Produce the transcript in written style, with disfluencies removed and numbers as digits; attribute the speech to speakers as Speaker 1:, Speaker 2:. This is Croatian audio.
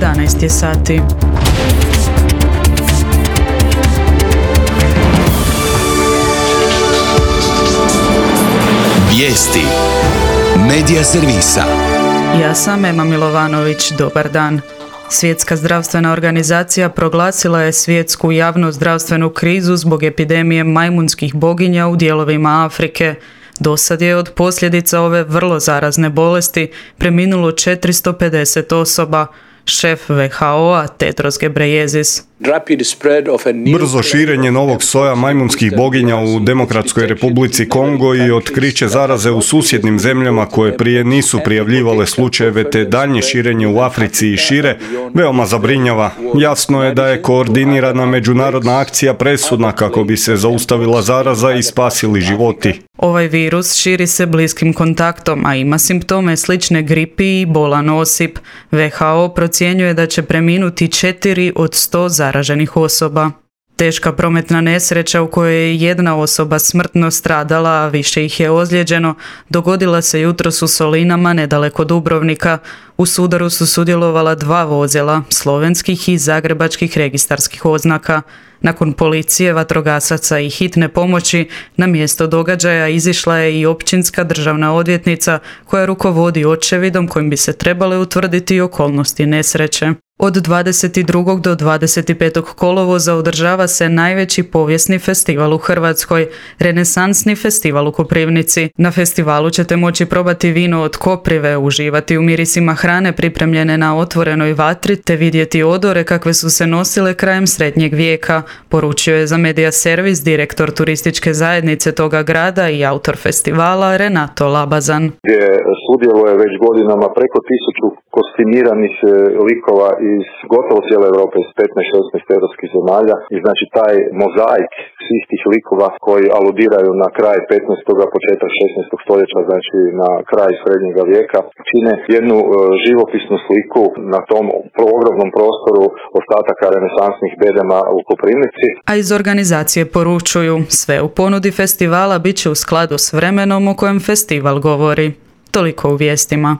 Speaker 1: 11 je sati.
Speaker 2: Vijesti Medija servisa.
Speaker 1: Ja sam Ema Milovanović, dobar dan. Svjetska zdravstvena organizacija proglasila je svjetsku javno-zdravstvenu krizu zbog epidemije majmunskih boginja u dijelovima Afrike. Dosad je od posljedica ove vrlo zarazne bolesti preminulo 450 osoba. Šef WHO-a Tedros Ghebreyesus.
Speaker 3: Brzo širenje novog soja majmunskih boginja u Demokratskoj Republici Kongo i otkriće zaraze u susjednim zemljama koje prije nisu prijavljivale slučajeve te daljnje širenje u Africi i šire veoma zabrinjava. Jasno je da je koordinirana međunarodna akcija presudna kako bi se zaustavila zaraza i spasili životi.
Speaker 1: Ovaj virus širi se bliskim kontaktom, a ima simptome slične gripi i bolan osip. WHO procjenjuje da će preminuti 4 od 100 zaraženih osoba. Teška prometna nesreća u kojoj je jedna osoba smrtno stradala, a više ih je ozlijeđeno, dogodila se jutros u Solinama nedaleko Dubrovnika. U sudaru su sudjelovala 2 vozila, slovenskih i zagrebačkih registarskih oznaka. Nakon policije, vatrogasaca i hitne pomoći, na mjesto događaja izišla je i općinska državna odvjetnica koja rukovodi očevidom kojim bi se trebale utvrditi okolnosti nesreće. Od 22. do 25. kolovoza održava se najveći povijesni festival u Hrvatskoj, Renesansni festival u Koprivnici. Na festivalu ćete moći probati vino od koprive, uživati u mirisima hrane pripremljene na otvorenoj vatri te vidjeti odore kakve su se nosile krajem srednjeg vijeka, poručio je za Medija servis direktor turističke zajednice toga grada i autor festivala Renato Labazan.
Speaker 4: Gdje sudjeluje već godinama preko 1000 kostimiranih likova iz gotovo cijele Europe, iz 15-16 europskih zemalja i znači taj mozaik svih tih likova koji aludiraju na kraj 15. početak 16. stoljeća, znači na kraj srednjega vijeka, čine jednu živopisnu sliku na tom ogromnom prostoru ostataka renesansnih bedema u Koprivnici.
Speaker 1: A iz organizacije poručuju, sve u ponudi festivala bit će u skladu s vremenom o kojem festival govori. Toliko u vijestima.